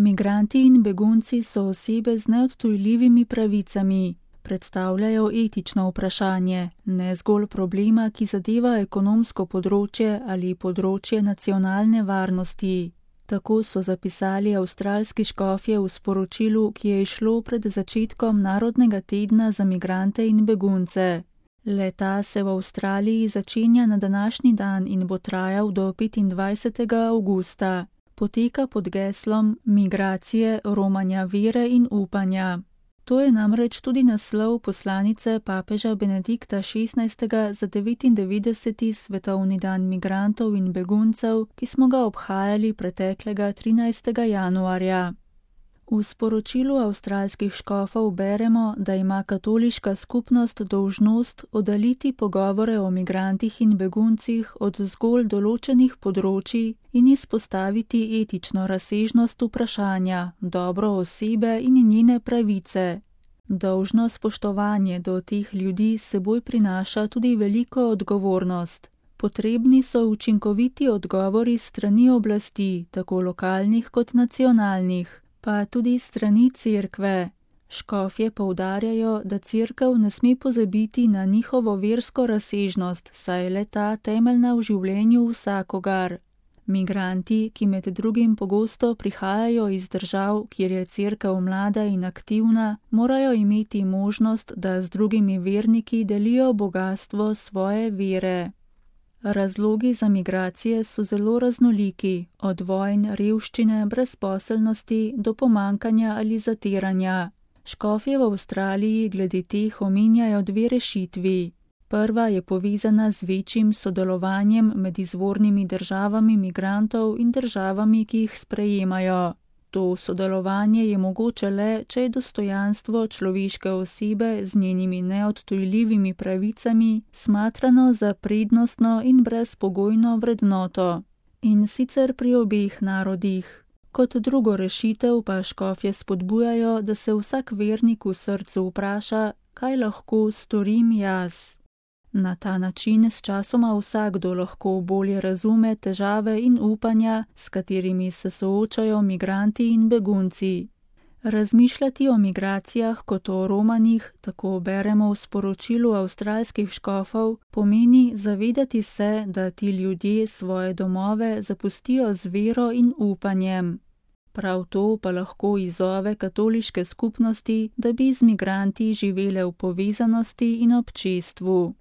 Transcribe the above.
Migranti in begunci so osebe z neodtujljivimi pravicami. Predstavljajo etično vprašanje, ne zgolj problema, ki zadeva ekonomsko področje ali področje nacionalne varnosti. Tako so zapisali avstralski škofje v sporočilu, ki je izšlo pred začetkom Narodnega tedna za migrante in begunce. Le-ta se v Avstraliji začenja na današnji dan in bo trajal do 25. avgusta. Poteka pod geslom Migracije, romanja vere in upanja. To je namreč tudi naslov poslanice papeža Benedikta XVI. Za 99. svetovni dan migrantov in beguncev, ki smo ga obhajali preteklega 13. januarja. V sporočilu avstralskih škofov beremo, da ima katoliška skupnost dolžnost oddaliti pogovore o migrantih in beguncih od zgolj določenih področij in izpostaviti etično razsežnost vprašanja, dobro osebe in njene pravice. Dolžno spoštovanje do teh ljudi s seboj prinaša tudi veliko odgovornost. Potrebni so učinkoviti odgovori strani oblasti, tako lokalnih kot nacionalnih, pa tudi strani cerkve. Škofje poudarjajo, da cerkev ne sme pozabiti na njihovo versko razsežnost, saj je le-ta temeljna v življenju vsakogar. Migranti, ki med drugim pogosto prihajajo iz držav, kjer je cerkev mlada in aktivna, morajo imeti možnost, da z drugimi verniki delijo bogastvo svoje vere. Razlogi za migracije so zelo raznoliki, od vojn, revščine, brezposelnosti do pomanjkanja ali zatiranja. Škofje v Avstraliji glede teh omenjajo dve rešitvi. Prva je povezana z večjim sodelovanjem med izvornimi državami migrantov in državami, ki jih sprejemajo. To sodelovanje je mogoče le, če je dostojanstvo človeške osebe z njenimi neodtujljivimi pravicami smatrano za prednostno in brezpogojno vrednoto. In sicer pri obeh narodih. Kot drugo rešitev pa škofje spodbujajo, da se vsak vernik v srcu vpraša, kaj lahko storim jaz. Na ta način sčasoma vsakdo lahko bolje razume težave in upanja, s katerimi se soočajo migranti in begunci. Razmišljati o migracijah kot o romanjih, tako beremo v sporočilu avstralskih škofov, pomeni zavedati se, da ti ljudje svoje domove zapustijo z vero in upanjem. Prav to pa lahko izzove katoliške skupnosti, da bi z migranti živele v povezanosti in občestvu.